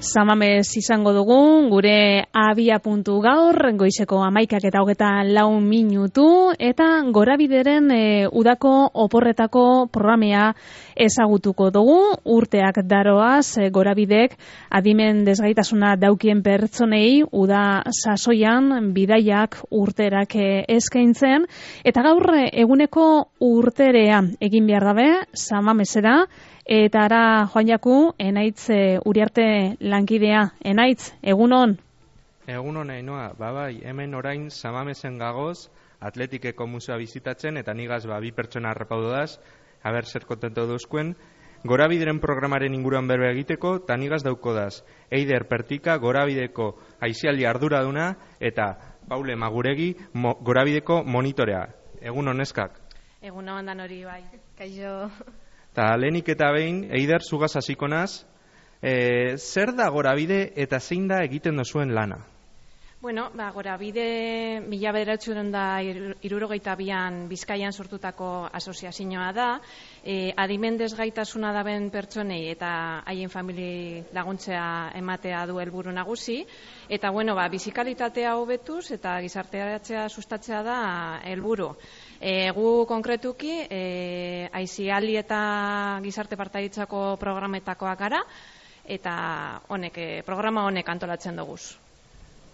Samamez izango dugu, gure abia puntu gaur, goizeko 11:24 eta Gorabideren udako oporretako programea ezagutuko dugu. Urteak daroaz, Gorabidek adimen desgaitasuna daukien pertsonei uda sasoian bidaiak urterak eskaintzen, eta gaur eguneko urterea egin behar dabe, Samamezera. Eta ara, Joan Jaku, Enaitz Uriarte lankidea. Enaitz, egunon? Egunon, Ainoa, bai, hemen orain Samamezen gagoz, Atletikeko musea bizitatzen, eta nigaz bi pertsona harrapaudodaz, haber zer kontento duzkuen, Gorabideren programaren inguruan berbe egiteko, eta nigaz daukodaz, Eider Pertika, Gorabideko aizialdi arduraduna, eta Paule Maguregi, Gorabideko monitorea. Egunon, neskak? Egunon, dan hori bai. Kaixo. Eta lehenik eta behin, Eider, zugaz hasiko naz, zer da Gorabide eta zein da egiten duzuen lana? Bueno, Gorabide 1972an Bizkaian sortutako asoziazioa da, adimen desgaitasuna daben pertsonei eta haien famili laguntzea ematea du helburu nagusi, eta bizikalitatea hobetuz eta gizarteratzea sustatzea da helburu. Gu konkretuki aizialdi eta gizarte partaiditzako programetakoak gara, eta programa honek antolatzen duguz.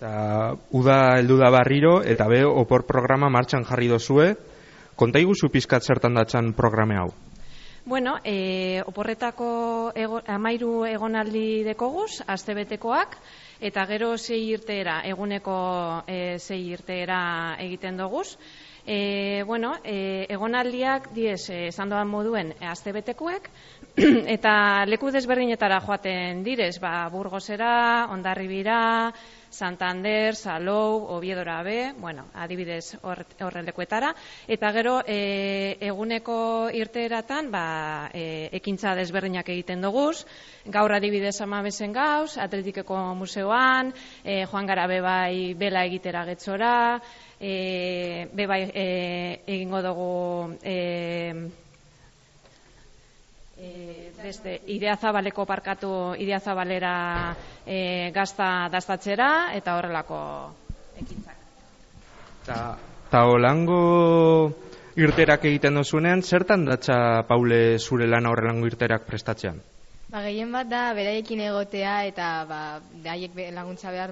Eta uda heldu da barriro, eta opor programa martxan jarri dozue. Konta iguzu pizkat zertan datzan programe hau? Bueno, oporretako 13 egonaldi dekoguz, astebetekoak, eta gero 6 irteera, eguneko 6 irteera egiten duguz. Egonaldiak diez, esan doan moduen astebetekoek, eta leku desberdinetara joaten direz, Burgosera, Hondarribira, Santander, Salou, Oviedora be, adibidez horrelekuetara, eta gero eguneko irteeratan ekintza desberdinak egiten duguz, gaur adibidez Samamezen gauz, Atletikeko museoan, joan gara bebai bela egitera Getzora, bebai egingo dugu beste Ideazabaleko parkatu Ideazabalera gazta dastatzera eta horrelako ekintzak. Ta holango irterak egiten dozunean, zertan datza, Paule, zure lana horrelango irterak prestatzean? Gehien bat da beraiekin egotea eta beraiek laguntza behar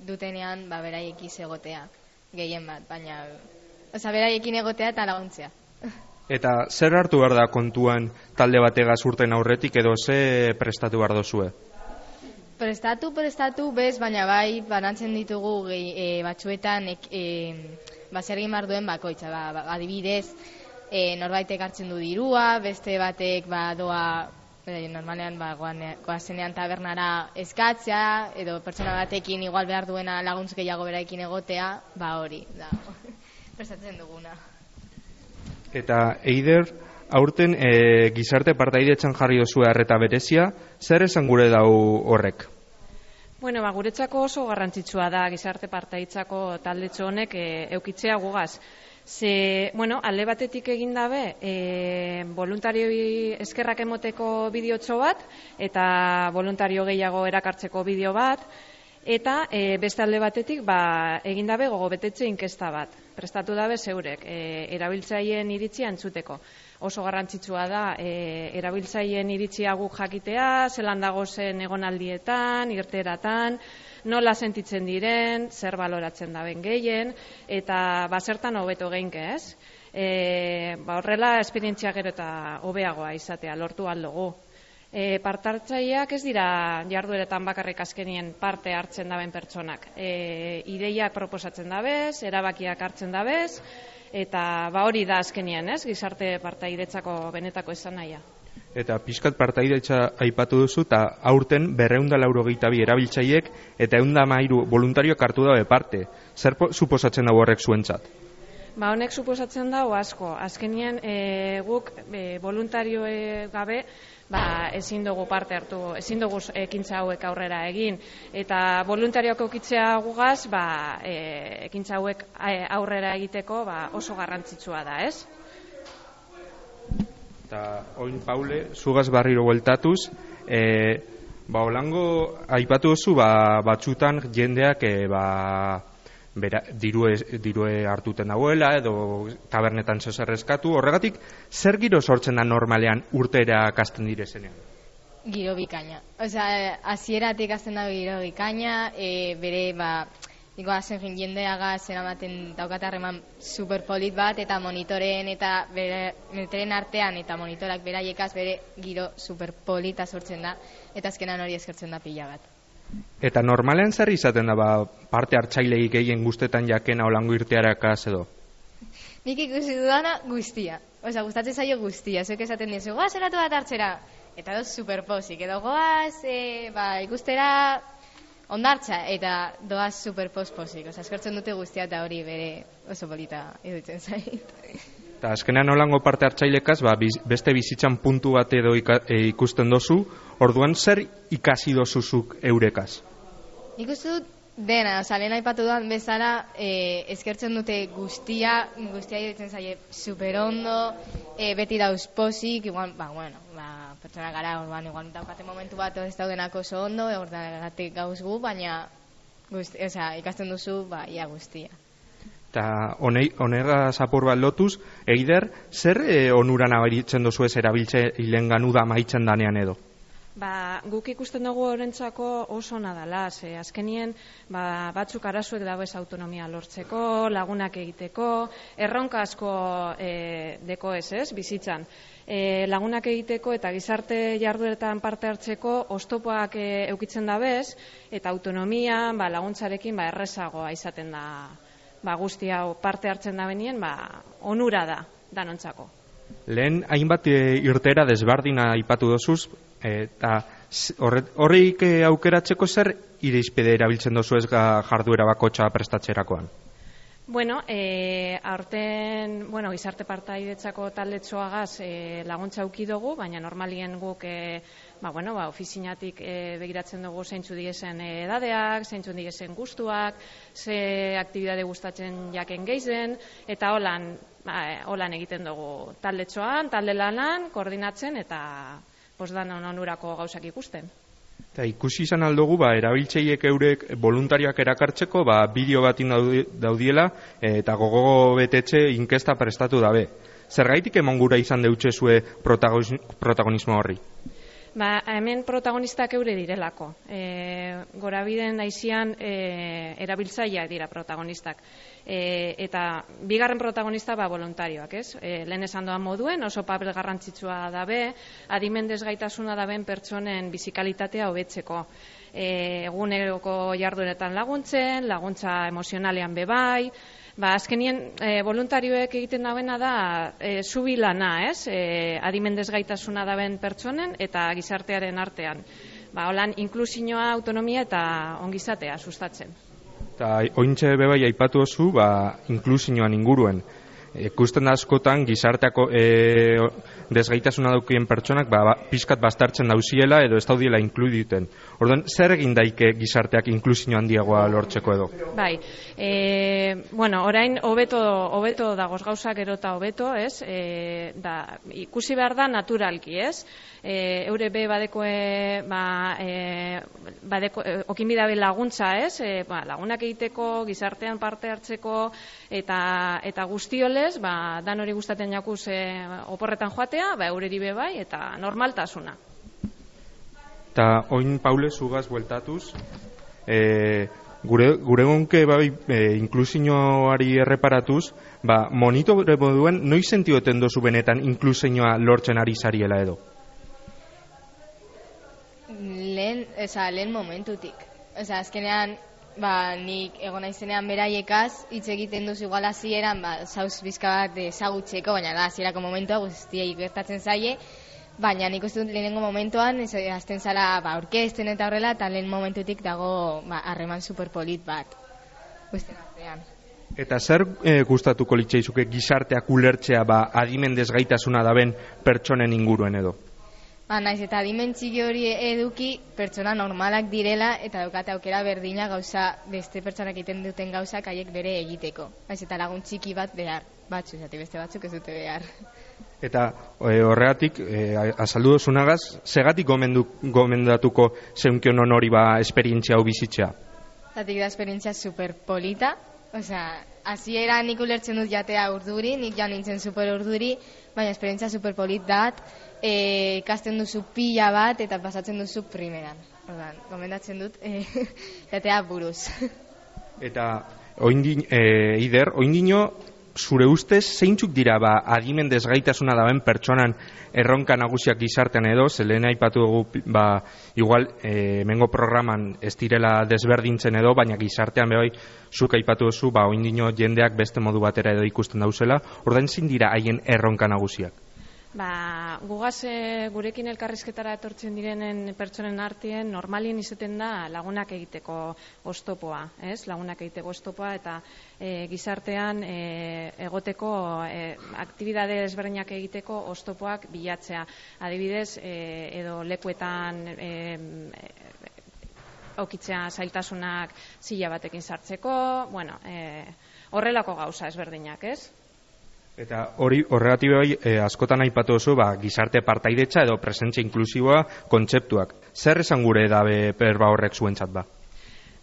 dutenean beraiekiz egotea. Gehien bat, baina beraiekin egotea eta laguntzea. Eta zer hartu behar da kontuan talde bategaz urten aurretik edo ze prestatu behar dozue? Prestatu bez, baina bai banantzen ditugu batzuetan zer egin behar duen bakoitza. Adibidez, norbaitek hartzen du dirua, beste batek doa normalean goazenean tabernara eskatzea, edo pertsona batekin igual behar duena laguntz gehiago beraekin egotea, hori da prestatzen duguna. Eta Eider, aurten gizarte partaidetzan jarri dozue arreta berezia, zer esan gure dau horrek? Guretzako oso garrantzitsua da gizarte partaiditzako taldetxo honek eukitzea gugaz. Alde batetik egin dabe, voluntarioi eskerrak emoteko bideotxo bat, eta voluntario gehiago erakartzeko bideo bat, eta beste alde batetik egin dabe gogobetetxe inkesta bat. Prestatu dabe zeurek, erabiltzaileen iritzia entzuteko. Oso garrantzitsua da, erabiltzaileen iritzia guk jakitea, zelan dagozen egonaldietan, irteratan, nola sentitzen diren, zer baloratzen daben gehien, eta zertan hobeto geinke, ez? Horrela, esperientzia gero eta hobeagoa izatea, lortu aldugu. Partartzaileak ez dira jardueretan bakarrik azkenien parte hartzen daben pertsonak. Ideiak proposatzen dabez, erabakiak hartzen dabez, eta hori da azkenien, ez? Gizarte partaidetzako benetako esan nahia. Eta pixkat partaidetza aipatu duzu, eta aurten 282 erabiltzaileek eta 113 voluntarioak hartu dabe parte. Zer suposatzen dago horrek zuentzat? Honek suposatzen dago asko. Azkenien guk voluntario gabe ezin dugu parte hartu, ezin dugu ekintza hauek aurrera egin. Eta voluntarioak eukitzea gugaz, ekintza hauek aurrera egiteko oso garrantzitsua da, ez? Eta oin, Paule, zugaz barriro bueltatuz, Holango aipatu duzu batzutan jendeak dirue hartuten dagoela edo tabernetan zer eskatu. Horregatik, zer giro sortzen da normalean urtera kasten direzenean? Giro bikaina. Osea, hasieratik hasten da giro bikaina, bere Niko azen jendeaga zeramaten daukat harreman superpolit bat, eta monitoreen eta metren artean eta monitorak beraiekaz bere giro superpolita sortzen da, eta azkenan hori eskertzen da pila bat. Eta normalean zer izaten da parte hartzaileik gehien guztetan jakena Holango irtearakaz edo? Nik ikusi dudana guztia. Osea, gustatzen zaio guztia. Zuek esaten dizu, goaz eratu bat hartzera. Eta doz superposik. Edo goaz ikustera ondartza, eta doaz superposposik. Osea, eskertzen dute guztia eta hori bere oso polita iruditzen zait. Eta azkenean Holango parte hartzailekaz, beste bizitzan puntu bat edo ikusten dozu, orduan zer ikasi dozuzuk eurekaz? Nik uste dut dena, lehen aipatu duan bezala, eskertzen dute guztia iruditzen zaie superondo, beti dauz posik, igual, pertsona gara, orduan, igual daukate momentu bat ez daudenak oso ondo, orduan gauz gu, baina ikasten duzu, ia guztia. Eta honegaz apur bat lotuz, Eider, zer onuran abaritzen dozu ez erabiltze hilengan uda maitzen danean edo? Guk ikusten dugu horrentzako oso nadala, azkenien batzuk arazuek dago ez autonomia lortzeko, lagunak egiteko, erronka asko deko ez, bizitzan. Lagunak egiteko eta gizarte jardueretan parte hartzeko oztopoak eukitzen dabez, eta autonomia laguntzarekin errezagoa izaten da guzti hau parte hartzen da benien, onura da danontzako. Lehen hainbat irtera desbardina aipatu dozuz, eta horreik aukeratzeko zer irizpide erabiltzen dozu ez jarduera bakotxa prestatzerakoan? Aurten, gizarte partaidetzako taldetxoagaz laguntza auki dugu, baina normalien guk ofizinatik begiratzen dugu zeintzu digezen edadeak, zeintzu digezen gustuak, ze aktibidade gustatzen jaken geizen, eta holan egiten dugu taldetxoan, talde lanan, koordinatzen eta posdan onurako gauzak ikusten. Eta ikusi izan aldugu, erabiltzaiek eurek voluntarioak erakartzeko, bideo batin daudiela eta gogo betetxe inkesta prestatu dabe. Zergaitik emon gura izan deutxezue protagonismo horri? Hemen protagonistak eure direlako. Gorabiden aizian erabiltzaileak dira protagonistak. Eta bigarren protagonista voluntarioak, ez? Lehen esan doan moduen, oso papel garrantzitsua dabe, adimen desgaitasuna daben pertsonen bizikalitatea hobetzeko. Eguneroko jardueretan laguntzen, laguntza emozionalean bebai, azkenien voluntarioek egiten dabena da zubilana, ez? Adimen desgaitasuna daben pertsonen eta gizartearen artean. Holan inklusioa, autonomia eta ongizatea sustatzen. Eta ointxe bebai aipatu oso, inklusioan inguruen. Ikusten da askotan gizarteako desgaitasuna daukien pertsonak pizkat bastartzen dauziela edo ez daudiela inkluditen. Orduan, zer egin daike gizarteak inklusio handiagoa lortzeko edo? Orain hobeto dagoz gauzak gero eta hobeto, ez? Ikusi behar da naturalki, ez? Eure be badekoe okinbidabe laguntza, ez? Lagunak egiteko, gizartean parte hartzeko eta guztiolez, dan hori gustaten jakuz oporretan joatea, eureri be bai, eta normaltasuna. Eta oin, Paule, zugaz bueltatuz, gure gonke inklusioari erreparatuz, monitore moduen, noiz sentioten dozu benetan inklusioa lortzen ari zariela edo? Lehen momentutik. Azkenean, nik egon naizenean beraiekaz, hitz egiten duzu igual hasieran, zauz bizka bat ezagutzeko, baina da, hasierako momentua guztiei gertatzen zaie, baina nik uste dut lehenengo momentuan, azten zara orkesten eta horrela, eta lehen momentutik dago harreman superpolit bat. Guztien artean. Eta zer gustatuko litzaizuke gizarteak ulertzea adimen desgaitasuna daben pertsonen inguruen edo? Naiz eta adimen txiki hori eduki pertsona normalak direla eta daukate aukera berdina gauza beste pertsonak egiten duten gauzak haiek bere egiteko. Naiz eta lagun txiki bat behar, beste batzuk ez dute behar. Eta horregatik, azaldu duzunagaz, segatik gomendatuko zeunkion hori esperientzia hau bizitzea? Zatik da esperientzia super polita, hasiera nik ulertzen dut jatea urduri, nik ja nintzen super urduri, baina esperientzia super polit dat, ikasten duzu pila bat eta pasatzen duzu primeran. Ordan, gomendatzen dut jatea buruz. Eta Ider, oindino zure ustez zeintzuk dira adimen desgaitasuna daben pertsonan erronka nagusiak gizartean edo, zelen aipatu dugu igual mengo programan ez direla desberdintzen edo, baina gizartean bai zuk aipatu duzu oindino jendeak beste modu batera edo ikusten dauzela, ordain zein dira haien erronka nagusiak? Gugaz gurekin elkarrizketara etortzen direnen pertsonen artean normalien izaten da lagunak egiteko oztopoa, ez? Lagunak egiteko oztopoa eta gizartean egoteko aktibidade ezberdinak egiteko oztopoak bilatzea. Adibidez, edo lekuetan aukitzea zailtasunak zila batekin sartzeko, horrelako gauza ezberdinak, ez? Eta horregatik askotan aipatu duzu gizarte partaidetza edo presentzia inklusiboa kontzeptuak. Zer esan gure dabe berba horrek zuentzat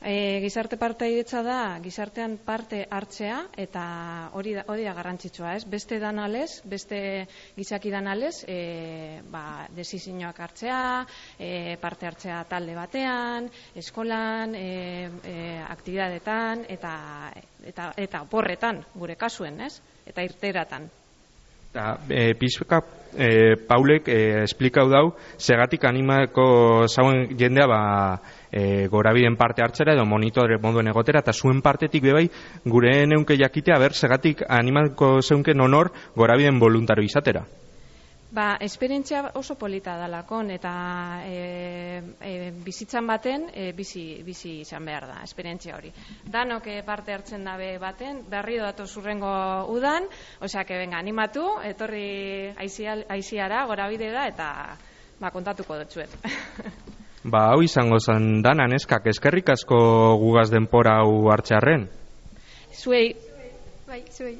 Gizarte partaidetza da gizartean parte hartzea eta hori da garrantzitsua, ez? Beste danalez, beste gizaki danalez, desizioak hartzea, parte hartzea talde batean, eskolan, aktibidadetan eta oporretan gure kasuen, ez? Eta irteratan. Pizka Paulek esplikau dau segatik animako zauen jendea gorabideen parte hartzera edo monitore moduen egotera, eta zuen partetik bebai gure neunke jakitea segatik animako zeunken honor gorabideen voluntario izatera. Esperientzia oso polita dalakon eta bizitzan baten bizi izan behar da, esperientzia hori. Danok parte hartzen dabe baten, berriro datu zurrengo udan, animatu, etorri aiziara, gorabide da, eta kontatuko dutzuet. Hau izango zen dana, neskak, eskerrik asko gugaz denpora hau hartzearren. Zuei. Zuei.